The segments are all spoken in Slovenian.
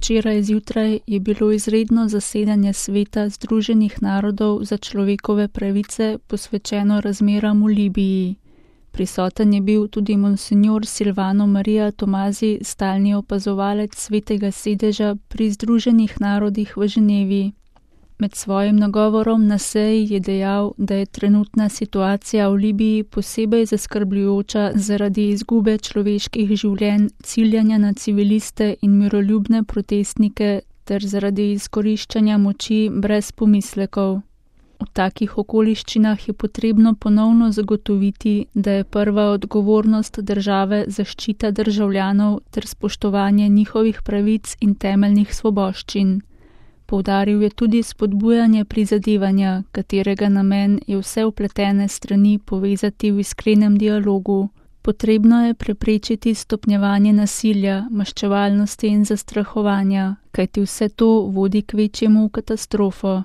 Včeraj zjutraj je bilo izredno zasedanje Sveta Združenih narodov za človekove pravice posvečeno razmeram v Libiji. Prisoten je bil tudi monsinjor Silvano Maria Tomazi, stalni opazovalec Svetega sedeža pri Združenih narodih v Ženevi. Med svojim nagovorom na seji je dejal, da je trenutna situacija v Libiji posebej zaskrbljujoča zaradi izgube človeških življenj, ciljanja na civiliste in miroljubne protestnike ter zaradi izkoriščanja moči brez pomislekov. V takih okoliščinah je potrebno ponovno zagotoviti, da je prva odgovornost države zaščita državljanov ter spoštovanje njihovih pravic in temeljnih svoboščin. Poudaril je tudi spodbujanje prizadevanja, katerega namen je vse vpletene strani povezati v iskrenem dialogu. Potrebno je preprečiti stopnjevanje nasilja, maščevalnosti in zastrahovanja, kajti vse to vodi k večjemu katastrofo.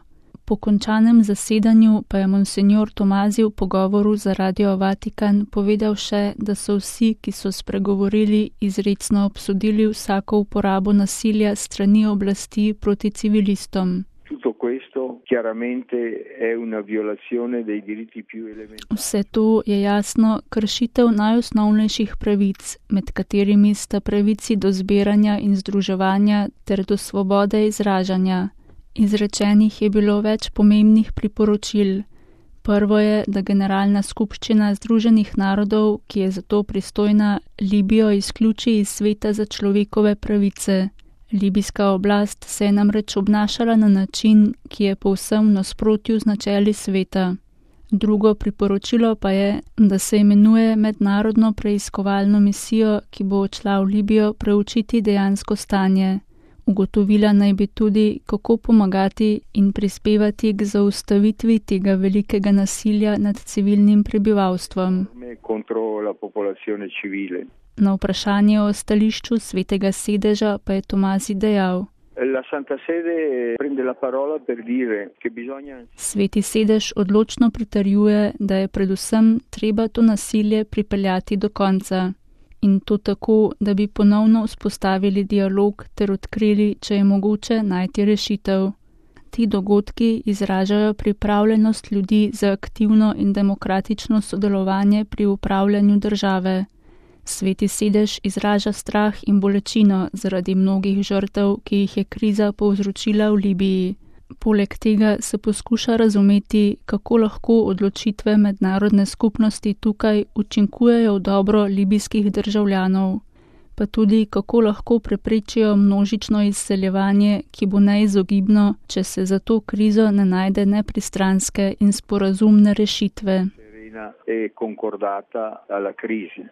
Po končanem zasedanju pa je monsinjor Tomazi v pogovoru za Radio Vatikan povedal še, da so vsi, ki so spregovorili, izrecno obsodili vsako uporabo nasilja strani oblasti proti civilistom. Vse to je jasno kršitev najosnovnejših pravic, med katerimi sta pravici do zbiranja in združevanja ter do svobode izražanja. Izrečenih je bilo več pomembnih priporočil. Prvo je, da Generalna skupščina Združenih narodov, ki je za to pristojna, Libijo izključi iz Sveta za človekove pravice. Libijska oblast se je namreč obnašala na način, ki je povsem v nasprotju z načeli sveta. Drugo priporočilo pa je, da se imenuje mednarodno preiskovalno misijo, ki bo odšla v Libijo preučiti dejansko stanje. Ugotovila naj bi tudi, kako pomagati in prispevati k zaustavitvi tega velikega nasilja nad civilnim prebivalstvom. Na vprašanje o stališču Svetega sedeža pa je Tomazi dejal: Sveti sedež odločno pritrjuje, da je predvsem treba to nasilje pripeljati do konca. In to tako, da bi ponovno vzpostavili dialog ter odkrili, če je mogoče najti rešitev. Ti dogodki izražajo pripravljenost ljudi za aktivno in demokratično sodelovanje pri upravljanju države. Sveti sedež izraža strah in bolečino zaradi mnogih žrtev, ki jih je kriza povzročila v Libiji. Poleg tega se poskuša razumeti, kako lahko odločitve mednarodne skupnosti tukaj učinkujejo v dobro libijskih državljanov, pa tudi kako lahko preprečijo množično izseljevanje, ki bo neizogibno, če se za to krizo ne najde nepristranske in sporazumne rešitve.